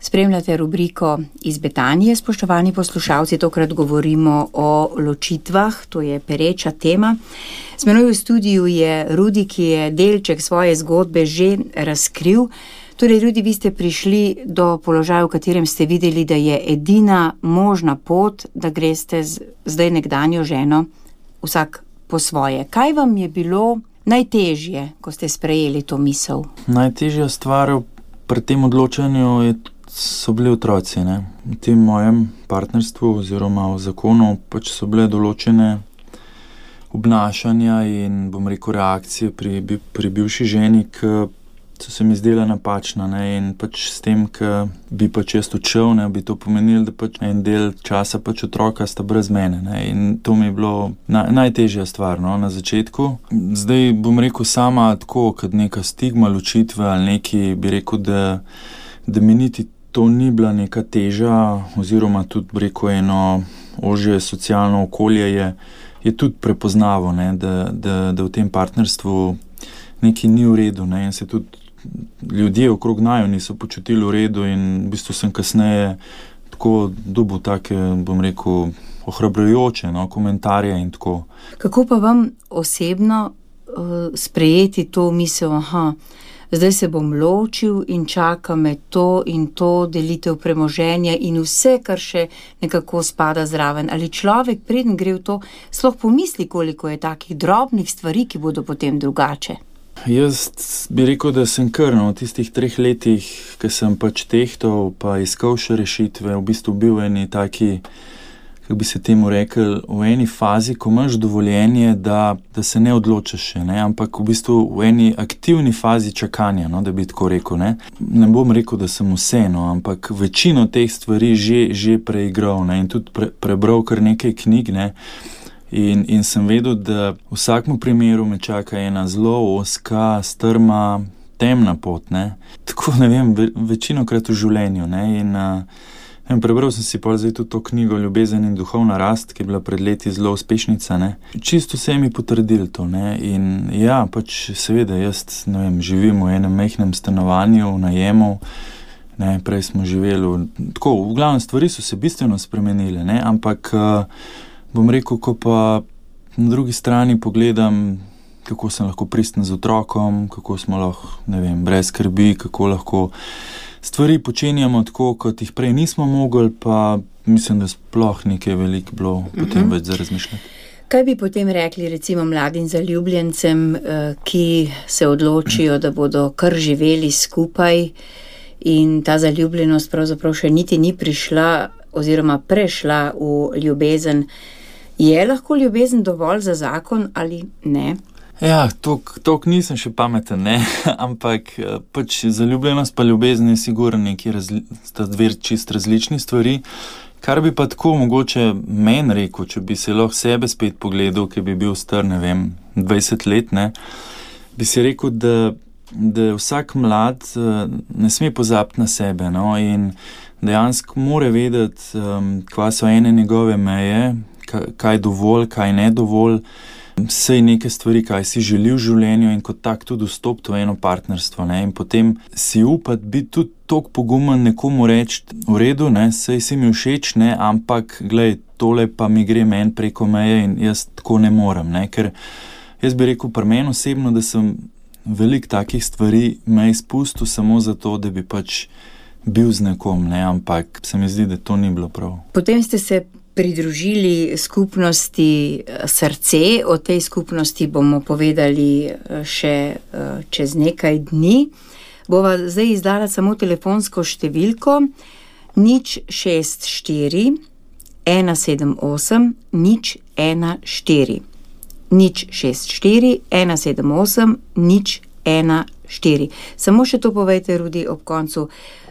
Spremljate rubriko Iz Betanije, spoštovani poslušalci, tokrat govorimo o ločitvah, to je pereča tema. Z menoj v studiu je Rudi, ki je delček svoje zgodbe že razkril. Torej, Rudi, vi ste prišli do položaja, v katerem ste videli, da je edina možna pot, da greste zdaj nekdanjo ženo vsak po svoje. Kaj vam je bilo najtežje, ko ste sprejeli to misel? Najtežja stvar pri tem odločanju so bili otroci, ne. V tem mojem partnerstvu oziroma v zakonu pač so bile določene obnašanja in, bom rekel, reakcije pri bivši ženi, ki so se mi zdela napačna, ne, in pač s tem, ki bi pač jaz odšel, ne, bi to pomenilo, da pač en del časa pač otroka sta brez mene, ne, in to mi je bilo najtežja stvar, no, na začetku. Zdaj, bom rekel, sama tako, kot neka stigma ločitve ali neki, bi rekel, da mi niti to ni bila neka teža, oziroma tudi, bi rekel, eno ožje socialno okolje je tudi prepoznavo, ne, da v tem partnerstvu nekaj ni v redu, ne, in se tudi ljudje okrog naju niso počutili v redu in v bistvu sem kasneje tako dobil take, bom rekel, ohrabrujoče, no, komentarje in tako. Kako pa vam osebno sprejeti to misel, zdaj se bom ločil in čaka me to in to, delitev premoženja in vse, kar še nekako spada zraven. Ali človek, preden gre v to, sploh pomisli, koliko je takih drobnih stvari, ki bodo potem drugače? Jaz bi rekel, da sem kar v tistih 3 letih, ki sem pač tehtal pa iskal še rešitve, v bistvu bil v eni taki, kako bi se temu rekel, v eni fazi, ko imaš dovoljenje, da se ne odločaš še, ne, ampak v bistvu v eni aktivni fazi čakanja, no, da bi tako rekel, ne. Ne bom rekel, da sem vse, no, ampak večino teh stvari že preigral, ne, in tudi prebral kar nekaj knjig, ne. In sem vedel, da v vsakem primeru me čaka ena zelo ozka, strma, temna pot, ne. Tako, ne vem, večinokrat v življenju, ne, in prebral sem si pol zdaj tudi to knjigo Ljubezen in duhovna rast, ki je bila pred leti zelo uspešnica, ne. Čisto vse mi potrdil to, ne, in ja, pač seveda jaz, ne vem, živim v enem majhnem stanovanju, v najemu, ne, prej smo živeli tako, v glavnem stvari so se bistveno spremenile, ne, ampak bom rekel, ko pa na drugi strani pogledam, kako sem lahko pristen z otrokom, kako smo lahko, ne vem, brez skrbi, kako lahko stvari počenjamo tako, kot jih prej nismo mogli, pa mislim, da sploh nekaj veliko bilo potem več za razmišljati. Kaj bi potem rekli recimo mladim zaljubljencem, ki se odločijo, da bodo kar živeli skupaj in ta zaljubljenost pravzaprav še niti ni prišla oziroma prešla v ljubezen? Je lahko ljubezen dovolj za zakon ali ne? Ja, toliko nisem še pameten, ne, ampak pač zaljubljenost pa ljubezen je sigurno sta dve čist različni stvari. Kar bi pa tako mogoče meni rekel, če bi se lahko sebe spet pogledal, ki bi bil star, ne vem, 20 let, ne, bi si rekel, da vsak mlad ne sme pozabiti na sebe, no, in dejansko mora vedeti, kva so ene njegove meje, kaj dovolj, kaj ne dovolj, saj neke stvari, kaj si želi v življenju in kot tak tudi vstopiti v eno partnerstvo, ne, in potem si upati biti tudi toliko pogumen nekomu reči, v redu, ne, saj si mi všeč, ne, ampak, glej, tole pa mi gre meni preko meje in jaz tako ne morem, ne, ker jaz bi rekel pri meni osebno, da sem veliko takih stvari me izpustil samo zato, da bi pač bil z nekom, ne, ampak se mi zdi, da to ni bilo prav. Potem ste se pridružili skupnosti Srce, o tej skupnosti bomo povedali še čez nekaj dni. Bova zdaj izdala samo telefonsko številko 064 178 014. 064 178 014. Samo še to povejte, Rudi, ob koncu.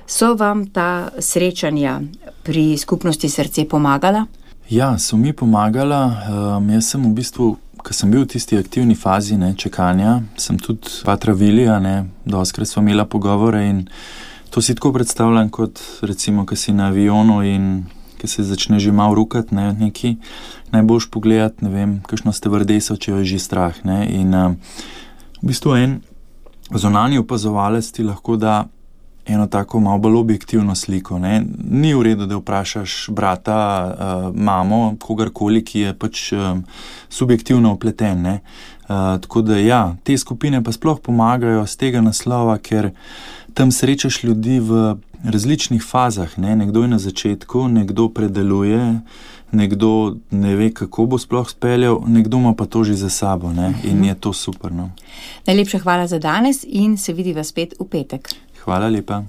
So vam ta srečanja pri skupnosti Srce pomagala? Ja, so mi pomagala. Jaz sem v bistvu, ko sem bil v tisti aktivni fazi, ne, čakanja, sem tudi patra Vilija, ne, dostikrat sva imela pogovore in to si tako predstavljam kot recimo, ko si na avionu in ko se začne že malo rukati, ne, neki, najboljš pogledati, ne vem, kakšno stevardeso, če jo je že strah, ne, in v bistvu en zunanji opazovalec ti lahko da eno tako malo bolj objektivno sliko, ne. Ni v redu, da vprašaš brata, mamo, kogarkoli, ki je pač subjektivno vpleten, ne. Tako da ja, te skupine pa sploh pomagajo z tega naslova, ker tam srečaš ljudi v različnih fazah, ne. Nekdo je na začetku, nekdo predeluje, nekdo ne ve, kako bo sploh speljal, nekdo ima pa to že za sabo, ne. In je to super, no. Najlepša hvala za danes in se vidiva spet v petek. Hvala lepa.